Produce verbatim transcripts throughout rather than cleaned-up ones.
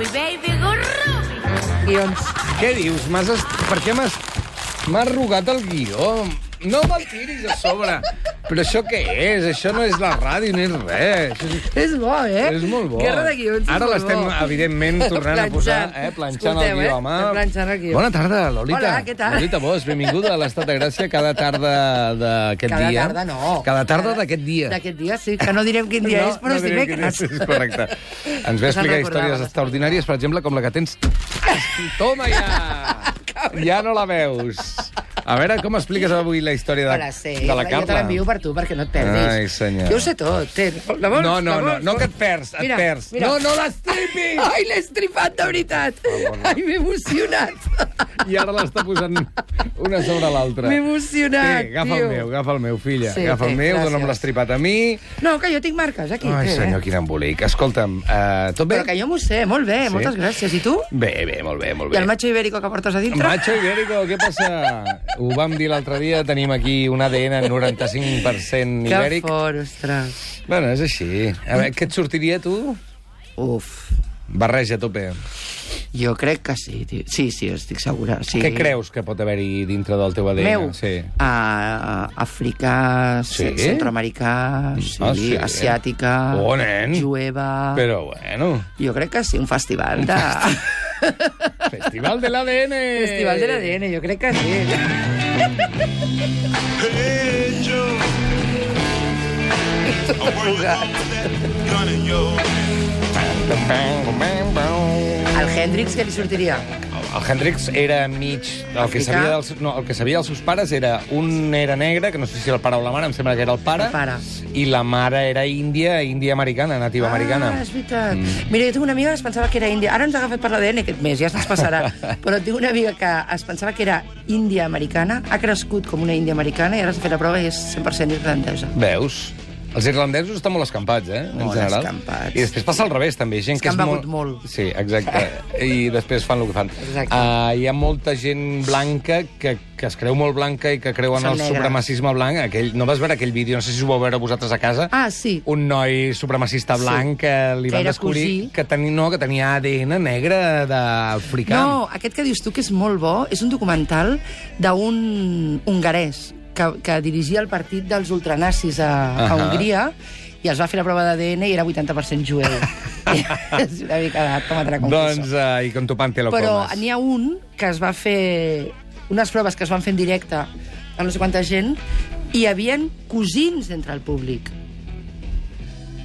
Rubi, baby, go Rubi. Guions. Què dius? M'has est... Per què m'has... M'has rogat el guió? No me'l tiris a sobre. Però això què és? Això no és la ràdio ni res. És bo, eh? És molt bo. Guerra de guions és Ara molt l'estem, bo. evidentment, tornant a posar, eh, planxant el Escolteu, guió, eh? home. Estem planxant el guió. Bona tarda, Lolita. Hola, què tal? Lolita Bosch, benvinguda a l'Estat de Gràcia cada tarda d'aquest Cada dia. tarda no. Cada tarda d'aquest dia. D'aquest dia, sí, que no direm quin dia No, és, però no és direm quin dimecres. és, correcte. Ens ve a Ja se'n explicar recordava, històries no? extraordinàries, per exemple, com la que tens... Toma ja! Ja no la veus. A veure, com expliques avui la història de, Hola, sí. de la Jo te Carla? l'envio per tu, perquè no et perdis. Ai, senyor. Jo ho sé tot. Té. La vols? No, no, La no, vols? no que et perds, et Mira, perds. mira. No, no l'estripis! Ai, l'he estripat, de veritat. Ai, m'he emocionat. I ara l'està posant una sobre l'altra. M'he emocionat, Té, agafa tio. el meu, agafa el meu, filla. Sí, agafa el té, meu, gràcies. dona'm l'estripat a mi. No, que jo tinc marques, aquí. Ai, té, senyor, eh? quin embolic. Escolta'm, uh, tot bé? Però que jo m'ho sé, molt bé, Sí? moltes gràcies. I tu? Bé, bé, molt bé, molt I bé. el macho ibérico que portes a dintre? Macho ibérico, què passa? Ho vam dir l'altre dia, tenim aquí un A D N noranta-cinc per cent Que ibèric. fort, ostres. Bueno, és així. A veure, què et sortiria, tu? Uf, Barreja a tope. jo crec que sí, tio. Sí, sí, estic segura. Sí. Què creus que pot haver-hi dintre del teu A D N? Meu? Sí. A, africà, Sí? centroamericà, sí, Ah, sí? asiàtica, Oh, nen. jueva... Però, bueno, Jo crec que sí, un festival de... Festival de l'A D N! Festival de l'A D N, jo crec que sí. Al Hendrix què li sortiria? El Hendrix era mig... El que, Africà. sabia dels, no, el que sabia dels seus pares era... Un era negre, que no sé si el pare o la mare, em sembla que era el pare. El pare. I la mare era índia, índia americana, nativa americana. Ah, és veritat. Mm. Mira, jo tinc una amiga que es pensava que era índia. Ara ens ha agafat per l'A D N aquest mes, ja se'ns passarà. Però tinc una amiga que es pensava que era índia americana, ha crescut com una índia americana i ara s'ha fet la prova i és cent per cent irlandesa. Veus? Els irlandesos estan molt escampats, eh? En Molt general. escampats. I després passa al revés, també. Gent És que que és han begut molt. Sí, exacte. I després fan el que fan. Exacte. Uh, hi ha molta gent blanca que, que es creu molt blanca i que creu en Són el negres. supremacisme blanc. Aquell, no vas veure aquell vídeo, no sé si ho vau veure vosaltres a casa? Ah, sí. Un noi supremacista blanc Sí. que li Que van era descobrir cosí. que, teni, no, que tenia A D N negre d'africà. No, aquest que dius tu, que és molt bo, és un documental d'un hongarès que, que dirigia el partit dels ultranazis a, a Ahà. Hongria i els va fer la prova d'A D N i era vuitanta per cent jueu. És una mica de tomatrà confuso. Doncs, uh, i con tu pan te lo Però comes. n'hi ha un que es va fer... Unes proves que es van fer en directe a no sé quanta gent i hi havia cosins entre el públic.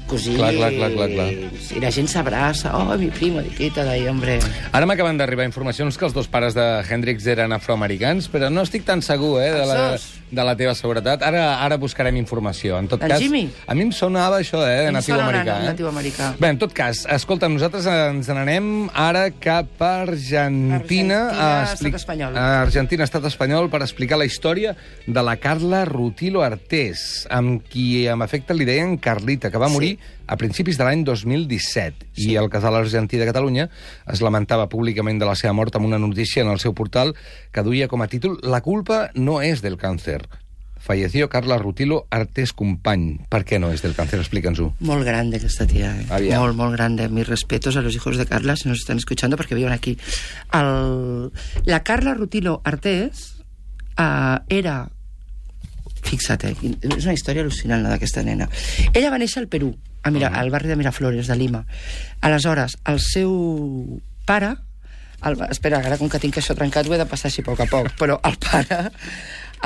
Cosins. Clar, clar, clar, clar, clar. I la gent s'abraça. Oh, mi primo, di quita d'ahí, hombre. Ara m'acaben d'arribar informacions que els dos pares de Hendrix eren afroamericans, però no estic tan segur eh, de, la, Els dos? de la teva seguretat. Ara ara buscarem informació. En tot El cas, Jimmy? a mi em sonava això, eh, de Em natiu sona americà. na- Eh? natiu americà. Bé, en tot cas, escolta, nosaltres ens n'anem ara cap a Argentina. Argentina, a estat espanyol. A Argentina, estat espanyol, per explicar la història de la Carla Rutilo Artés, amb qui, amb efecte, li deien Carlita, que va morir Sí. a principis de l'any dos mil disset. Sí. I el casal argentí de Catalunya es lamentava públicament de la seva mort amb una notícia en el seu portal que duia com a títol «La culpa no és del càncer». Falleció Carla Rutilo Artés Company. Per què no és del càncer? Explica'ns-ho. Molt grande aquesta tía, eh? Aviam. Molt, molt grande. Mis respetos a los hijos de Carla, si nos están escuchando, porque viven aquí. El... La Carla Rutilo Artés uh, era... Fixa't, eh? És una història al·lucinant, la d'aquesta nena. Ella va néixer al Perú, a Mira, al barri de Miraflores, de Lima. Aleshores, el seu pare... El... Espera, ara com que tinc això trencat ho he de passar així a poc a poc, però el pare...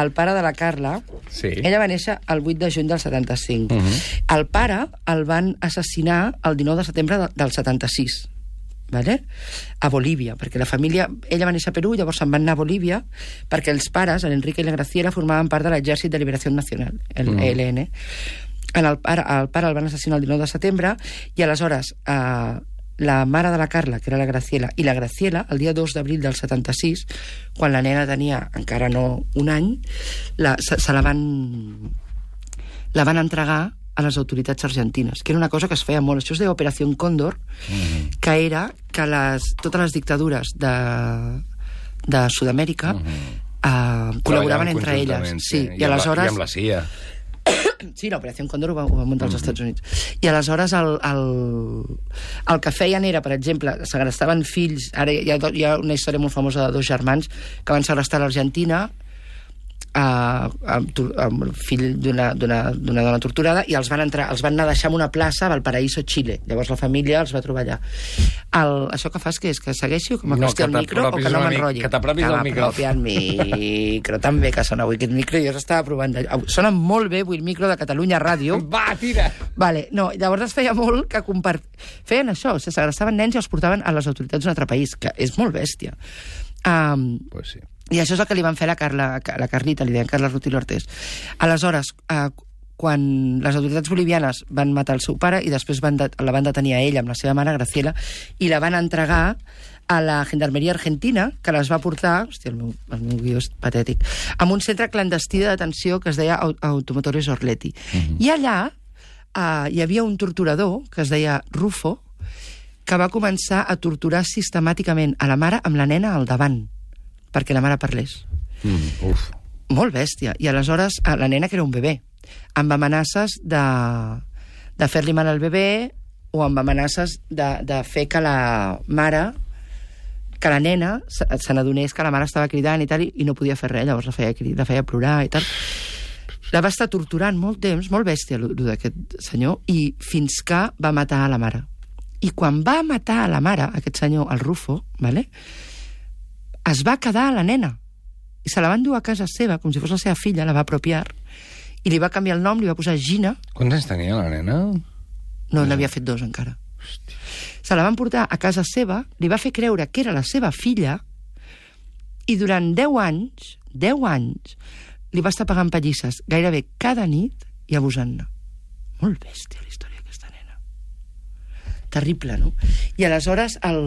El pare de la Carla, Sí. ella va néixer el vuit de juny del setanta-cinc. Uh -huh. El pare el van assassinar el dinou de setembre de, del setanta-sis, vale? A Bolívia, perquè la família... Ella va néixer a Perú, llavors se'n van anar a Bolívia, perquè els pares, l'Enrique i la Graciela, formaven part de l'Exèrcit de Liberació Nacional, el Mm. E L N. En el, pare, el pare el van assassinar el dinou de setembre, i aleshores... Eh, la mare de la Carla, que era la Graciela, i la Graciela, el dia dos d'abril del setanta-sis, quan la nena tenia encara no un any, la, se, se la van la van entregar a les autoritats argentines, que era una cosa que es feia molt. Això es deia Operació Còndor, mm-hmm. que era que les, totes les dictadures de, de Sud-amèrica mm-hmm. eh, col·laboraven entre elles. Sí, Sí, I, i aleshores... I amb la C I A. Sí, l'Operació Còndor ho va, ho va muntar als Estats Units. I aleshores el, el, el que feien era, per exemple, segrestaven fills... Ara hi ha, hi ha una història molt famosa de dos germans que van segrestar a l'Argentina, Uh, amb, amb el fill d'una dona torturada, i els van, entrar, els van anar a deixar en una plaça a Valparaíso, Xile. Llavors la família els va trobar allà. El, això que fas, que és que segueixi o que m'acosti no, al micro o que no m'enrotlli? Que t'apropis al micro. Que al micro, també que sona avui aquest micro. Jo estava provant... De... Sona molt bé avui el micro de Catalunya Ràdio. Va, tira! Vale, no, llavors es feia molt que compart... Feien això, se segrestaven nens i els portaven a les autoritats d'un altre país, que és molt bèstia. Um, pues sí. I això és el que li van fer a la, Carla, a la Carlita, li deien Carla Rutillo Artés. Aleshores, eh, quan les autoritats bolivianes van matar el seu pare i després van de, la van detenir a ella amb la seva mare, Graciela, i la van entregar a la Gendarmeria Argentina, que les va portar, hòstia, el meu, el meu guió és patètic, a un centre clandestí de detenció que es deia Automotores Orletti. Uh-huh. I allà eh, hi havia un torturador que es deia Rufo, que va començar a torturar sistemàticament a la mare amb la nena al davant, perquè la mare parlés. Mm, uf. Molt bèstia. I aleshores, la nena, que era un bebè, amb amenaces de, de fer-li mal al bebè o amb amenaces de, de fer que la mare, que la nena se, se n'adonés que la mare estava cridant i tal, i, i no podia fer res, llavors la feia, la feia plorar i tal. La va estar torturant molt temps, molt bèstia, el d'aquest senyor, i fins que va matar a la mare. I quan va matar a la mare, aquest senyor, el Rufo, vale? Es va quedar a la nena i se la van dur a casa seva, com si fos la seva filla, la va apropiar i li va canviar el nom, li va posar Gina. Quants anys tenia la nena? No, n'havia fet dos encara. Hòstia. Se la van portar a casa seva, li va fer creure que era la seva filla i durant deu anys, deu anys, li va estar pagant pallisses gairebé cada nit i abusant-ne. Molt bèstia la història d'aquesta nena. Terrible, no? I aleshores el...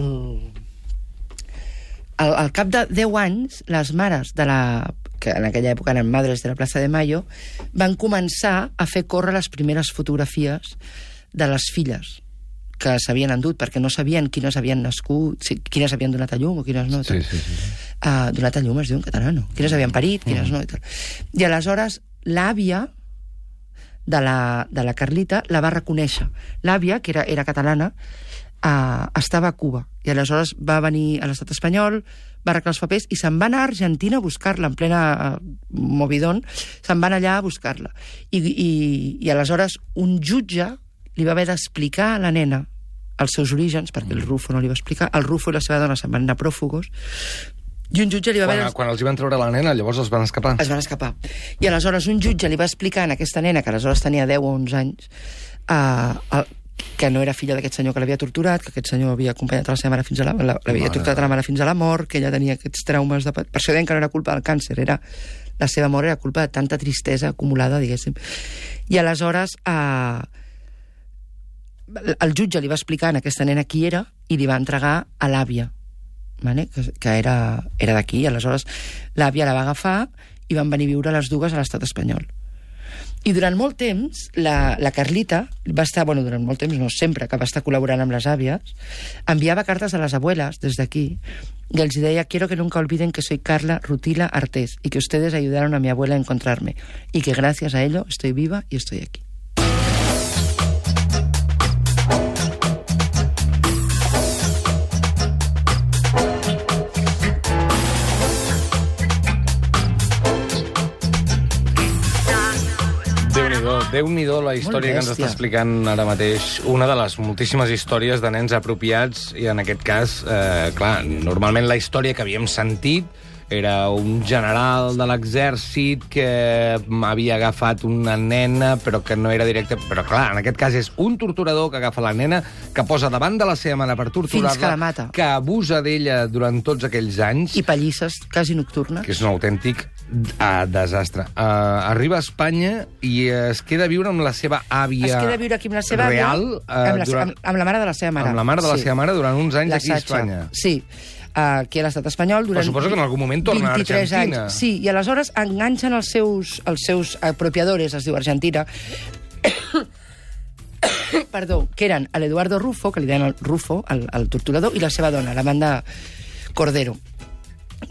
Al, al cap de deu anys, les mares de la... que en aquella època eren madres de la plaça de Mayo, van començar a fer córrer les primeres fotografies de les filles que s'havien endut, perquè no sabien quines havien nascut, quines havien donat a llum o quines no. Sí, sí, sí. Uh, donat a llum es diu en català, no? Quines havien parit, quines mm. no. I, tal. I aleshores l'àvia de la, de la Carlita la va reconèixer. L'àvia, que era, era catalana, Uh, estava a Cuba, i aleshores va venir a l'estat espanyol, va arreglar els papers i se'n va anar a Argentina a buscar-la en plena uh, movidón, se'n van allà a buscar-la. I, i, i aleshores un jutge li va haver d'explicar a la nena els seus orígens, perquè el Rufo no li va explicar, el Rufo i la seva dona se'n van anar pròfugos, i un jutge li va quan, haver... Quan els hi van treure la nena, llavors els van escapar. Es van escapar. I aleshores un jutge li va explicar a aquesta nena, que aleshores tenia deu o onze anys, uh, el, que no era filla d'aquest senyor que l'havia torturat, que aquest senyor havia acompanyat a la seva mare fins a la... l'havia torturat a la mare fins a la mort, que ella tenia aquests traumes de... Per això deien que no era culpa del càncer, era... la seva mort era culpa de tanta tristesa acumulada, diguéssim. I aleshores eh, el jutge li va explicar a aquesta nena qui era i li va entregar a l'àvia, vale? que, que era, era d'aquí. Aleshores l'àvia la va agafar i van venir a viure les dues a l'estat espanyol. I durant molt temps, la, la Carlita va estar, bueno, durant molt temps, no sempre, que va estar col·laborant amb les àvies, enviava cartes a les abuelas des d'aquí y les deia: quiero que nunca olviden que soy Carla Rutillo Artés y que ustedes ayudaron a mi abuela a encontrarme y que gracias a ello estoy viva y estoy aquí. Déu-n'hi-do la història que ens està explicant ara mateix. Una de les moltíssimes històries de nens apropiats, i en aquest cas, eh, clar, normalment la història que havíem sentit era un general de l'exèrcit que havia agafat una nena, però que no era directe... Però clar, en aquest cas és un torturador que agafa la nena, que posa davant de la seva mare per torturar-la, fins que la mata, que abusa d'ella durant tots aquells anys... I pallisses quasi nocturnes. Que és un autèntic uh, desastre. Uh, arriba a Espanya i es queda a viure amb la seva àvia real. Es queda a viure aquí amb la seva àvia, real, uh, amb, la, durant, amb, amb la mare de la seva mare. Amb la mare de la sí. seva mare durant uns anys la aquí a Sacha. Espanya. Sí. Uh, aquí a l'estat espanyol durant... Però suposo que en algun moment torna a Argentina. Anys. Sí, i aleshores enganxen els seus, els seus apropiadores, es diu Argentina, perdó, que eren l'Eduardo Rufo, que li deien el Rufo, el, el torturador, i la seva dona, l'Amanda Cordero.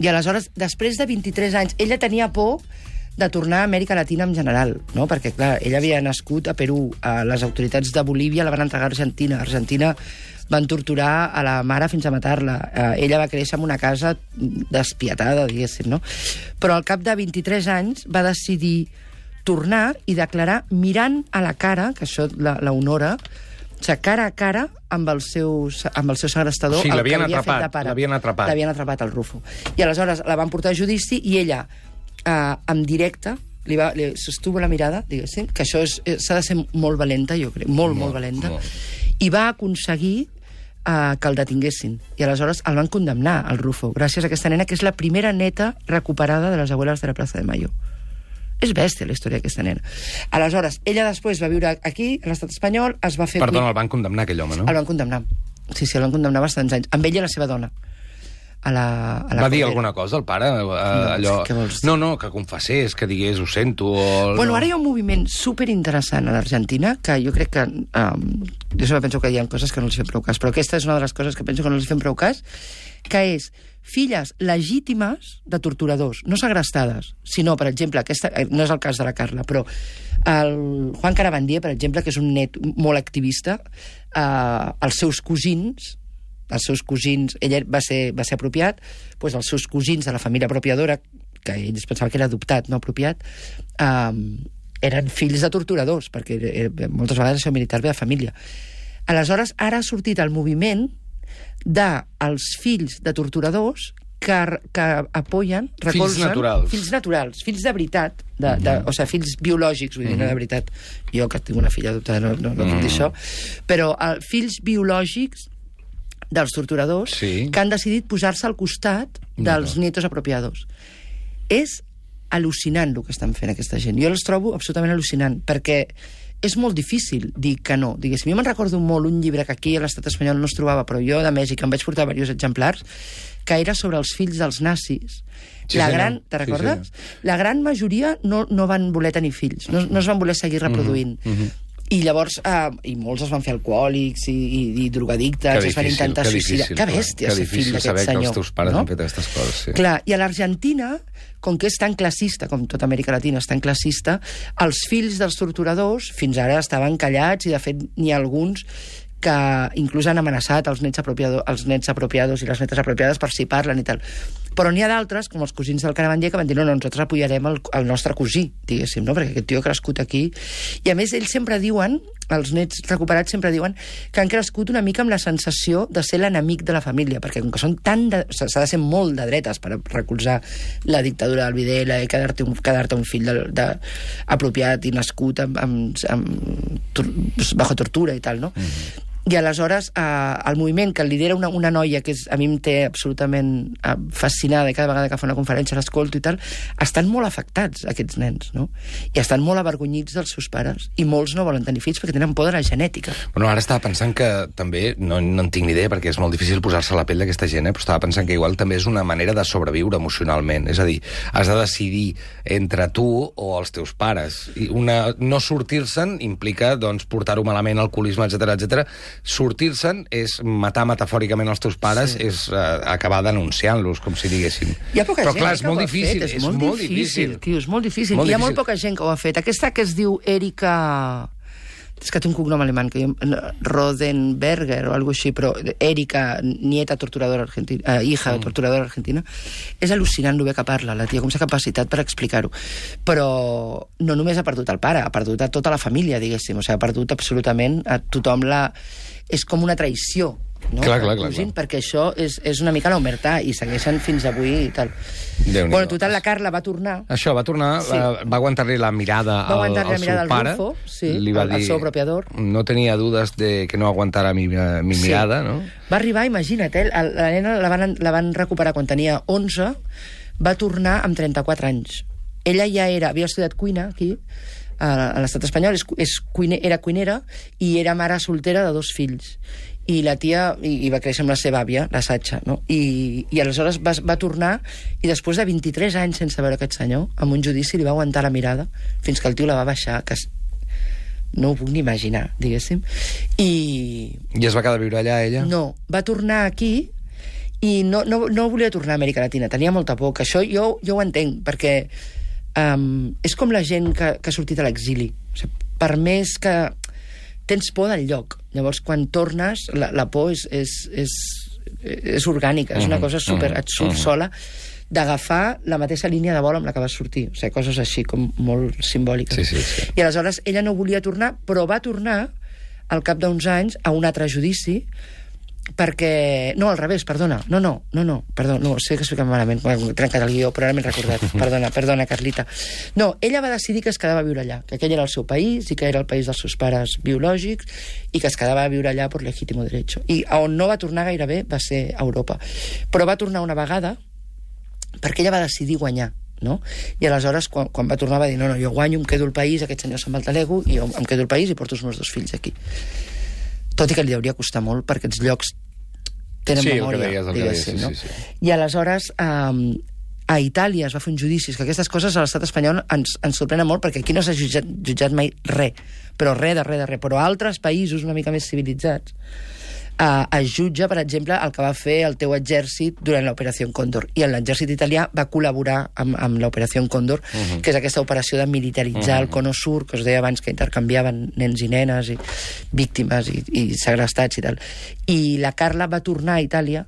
I aleshores, després de vint-i-tres anys, ella tenia por de tornar a Amèrica Latina en general, no? Perquè, clar, ella havia nascut a Perú, a les autoritats de Bolívia la van entregar a Argentina. A Argentina van torturar a la mare fins a matar-la. Eh, ella va créixer en una casa despietada, diguéssim, no? Però al cap de vint-i-tres anys va decidir tornar i declarar mirant a la cara, que això la, la honora, o sigui, cara a cara amb el seu, amb el seu segrestador, o sigui, el que l'havien havia atrapat, fet de pare. l'havien atrapat. L'havien atrapat, el Rufo. I aleshores la van portar a judici i ella, eh, en directe, li, va, li sostuvo la mirada, diguéssim, que això s'ha de ser molt valenta, jo crec, molt, molt, molt valenta, molt. I va aconseguir eh, que el detinguessin. I aleshores el van condemnar, al Rufo, gràcies a aquesta nena, que és la primera neta recuperada de les abuelas de la Plaza de Mayo. És bèstia, la història d'aquesta nena. Aleshores, ella després va viure aquí, a l'estat espanyol, es va fer... Perdona, el van condemnar, aquell home, no? El van condemnar. Sí, sí, el van condemnar bastants anys. Amb ella i la seva dona. A la, a la va dir Cordera. alguna cosa, el pare? Uh, No, allò... què vols dir? No, no, que confessés, que digués, ho sento... O... Bueno, no. ara hi ha un moviment superinteressant a l'Argentina, que jo crec que... Um, jo sempre penso que hi ha coses que no els fem prou cas, però aquesta és una de les coses que penso que no els fem prou cas, que és filles legítimes de torturadors, no segrestades, sinó, per exemple, aquesta, no és el cas de la Carla, però el Juan Carabandier, per exemple, que és un net molt activista, eh, els seus cosins, els seus cosins, ell va ser, va ser apropiat, doncs els seus cosins de la família apropiadora, que ell es pensava que era adoptat, no apropiat, eh, eren fills de torturadors, perquè eh, moltes vegades el seu militar ve de família. Aleshores, ara ha sortit el moviment dels fills de torturadors que, que apoyen, recolzen... Fills naturals. Fills naturals, fills de veritat, de, de, o sigui, fills biològics, vull dir, no de veritat. Jo, que tinc una filla adoptada, no, no, no puc dir això. Però uh, fills biològics dels torturadors Sí. que han decidit posar-se al costat dels No. nietos apropiados. És al·lucinant el que estan fent aquesta gent. Jo els trobo absolutament al·lucinant, perquè és molt difícil dir que no. Diguéssim, jo me'n recordo molt un llibre que aquí a l'estat espanyol no es trobava, però jo de Mèxic em vaig portar diversos exemplars, que era sobre els fills dels nazis. Sí, la senyor. gran, te Sí, recordes? La gran majoria no, no van voler tenir fills, no, no es van voler seguir reproduint. Mm -hmm. I llavors, eh, i molts es van fer alcohòlics i, i, i drogadictes, Que es van difícil, intentar que suïcidar. difícil, Que clar. bèstia, Que ser fill difícil d'aquest saber senyor. que els teus pares no? han fet aquestes coses, sí. Clar, i a l'Argentina, com que és tan classista, com tota Amèrica Latina és tan classista, els fills dels torturadors fins ara estaven callats i, de fet, n'hi ha alguns que inclús han amenaçat els nets, apropiado, els nets apropiados i les netes apropiades per si parlen i tal. Però n'hi ha d'altres, com els cosins del Carabandier, que van dir, no, no, nosaltres apoyarem el, el nostre cosí, diguéssim, no? Perquè aquest tio ha crescut aquí. I, a més, ells sempre diuen, els nets recuperats sempre diuen, que han crescut una mica amb la sensació de ser l'enemic de la família, perquè com que són tan... De, s'ha de ser molt de dretes per recolzar la dictadura del Videla i quedar-te un, quedar un fill de, de, apropiat i nascut amb, amb, amb, tor, bajo tortura i tal, no? Mm-hmm. I aleshores eh, el moviment que lidera una, una noia que és, a mi em té absolutament eh, fascinada i cada vegada que fa una conferència l'escolto i tal, estan molt afectats aquests nens, no? I estan molt avergonyits dels seus pares i molts no volen tenir fills perquè tenen por de la genètica. Bueno, ara estava pensant que també, no, no en tinc ni idea perquè és molt difícil posar-se a la pell d'aquesta gent, eh? Però estava pensant que igual també és una manera de sobreviure emocionalment, és a dir, has de decidir entre tu o els teus pares. I una, no sortir-se'n implica doncs, portar-ho malament, alcoholisme, etcètera, etcètera. Sortir-se'n és matar metafòricament els teus pares, sí. és uh, acabar denunciant-los, com si diguéssim. Hi ha poca Però gent clar, eh, és que molt ho ha difícil, fet, és, és molt, molt difícil, difícil. tio, és molt difícil. Molt Hi ha difícil. molt poca gent que ho ha fet. Aquesta que es diu Erika... És que té un cognom alemany, que jo... Rodenberger o alguna així, però Erika, nieta torturadora argentina, eh, hija mm. torturadora argentina, és al·lucinant el bé que parla, la tia, com s'ha capacitat per explicar-ho. Però no només ha perdut el pare, ha perdut a tota la família, diguéssim, o sigui, ha perdut absolutament a tothom la... És com una traïció, no? Clar, clar, clar, Cosint, clar. perquè això és, és una mica l'omertà i segueixen fins avui i tal. Déu-n'hi-do. Bueno, total, la Carla va tornar. Això, va tornar, Sí. la, va aguantar-li la mirada Va al, aguantar-li al la mirada seu al pare. Rufo, sí, li va al- al dir, seu apropiador. No tenia dudes de que no aguantara mi, mi Sí. mirada, no? Va arribar, imagina't, eh? la, la nena la van, la van recuperar quan tenia onze, va tornar amb trenta-quatre anys. Ella ja era, havia estudiat cuina aquí, a, a l'estat espanyol, és, és cuine, era cuinera i era mare soltera de dos fills. I la tia, i, i va créixer amb la seva àvia, la Satxa, no? I, i aleshores va, va tornar, i després de vint-i-tres anys sense veure aquest senyor, amb un judici li va aguantar la mirada, fins que el tio la va baixar, que es- no ho puc ni imaginar, diguéssim. I, I es va quedar a viure allà, ella? no, va tornar aquí i no, no, no volia tornar a Amèrica Latina, tenia molta por, que això jo, jo ho entenc, perquè Um, és com la gent que, que ha sortit a l'exili. O sigui, per més que tens por del lloc. Llavors, quan tornes, la, la por és, és, és, és orgànica, és una cosa super... Et surt sola d'agafar la mateixa línia de vol amb la que vas sortir. O sigui, coses així, com molt simbòliques. Sí, sí, sí. I aleshores ella no volia tornar, però va tornar al cap d'uns anys a un altre judici perquè... No, al revés, perdona. No, no, no, no, perdó, no, sé que expliquem malament, m'he trencat el guió, però ara m'he recordat. Perdona, perdona, Carlita. No, ella va decidir que es quedava a viure allà, que aquell era el seu país i que era el país dels seus pares biològics i que es quedava a viure allà per legítimo derecho. I on no va tornar gairebé va ser a Europa. Però va tornar una vegada perquè ella va decidir guanyar, no? I aleshores, quan, quan va tornar, va dir, no, no, jo guanyo, em quedo al país, aquest senyor se'n va al talego, i jo em quedo al país i porto els meus dos fills aquí. Tot i que li hauria costar molt, perquè aquests llocs tenen sí, memòria, deies, diguéssim, sí, no? sí, sí. I aleshores, um, a Itàlia es va fer un judici, que aquestes coses a l'estat espanyol ens, ens sorprenen molt, perquè aquí no s'ha jutjat, jutjat mai res, però res de res de res, però a altres països una mica més civilitzats Uh, es jutja, per exemple, el que va fer el teu exèrcit durant l'Operació Còndor. I l'exèrcit italià va col·laborar amb, amb l'Operació Còndor, uh -huh. que és aquesta operació de militaritzar uh -huh. el Cono Sur, que us deia abans que intercanviaven nens i nenes, i víctimes i, i segrestats i tal. I la Carla va tornar a Itàlia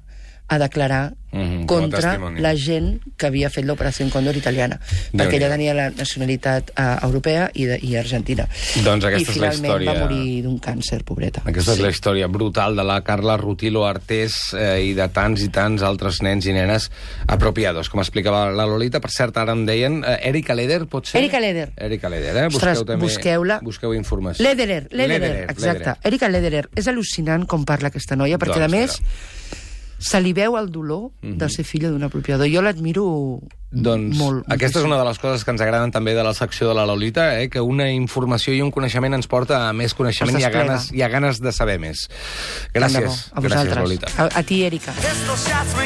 a declarar uh -huh, contra la gent que havia fet l'Operació Còndor italiana, perquè ella tenia la nacionalitat uh, europea i, de, i argentina. Doncs aquesta I és la finalment història... va morir d'un càncer, pobreta. Aquesta sí. és la història brutal de la Carla Rutilo Artés eh, i de tants i tants altres nens i nenes apropiados, com explicava la Lolita. Per cert, ara em deien... Eh, Erika Leder, pot ser? Erika Leder. Erika Leder, eh? Ostres, busqueu també, busqueu-la. Busqueu informació. Lederer, Lederer, Lederer, exacte. Lederer. Erika Lederer. És al·lucinant com parla aquesta noia, perquè, Doncs, a més, però... se li veu el dolor Mhm. de ser filla d'un apropiador. Jo l'admiro Doncs molt. aquesta és una de les coses que ens agraden també de la secció de la Lolita, eh? Que una informació i un coneixement ens porta a més coneixement i a ganes, i a ganes de saber més. Gràcies. A vosaltres. Gràcies, Lolita. A, a ti, Erika.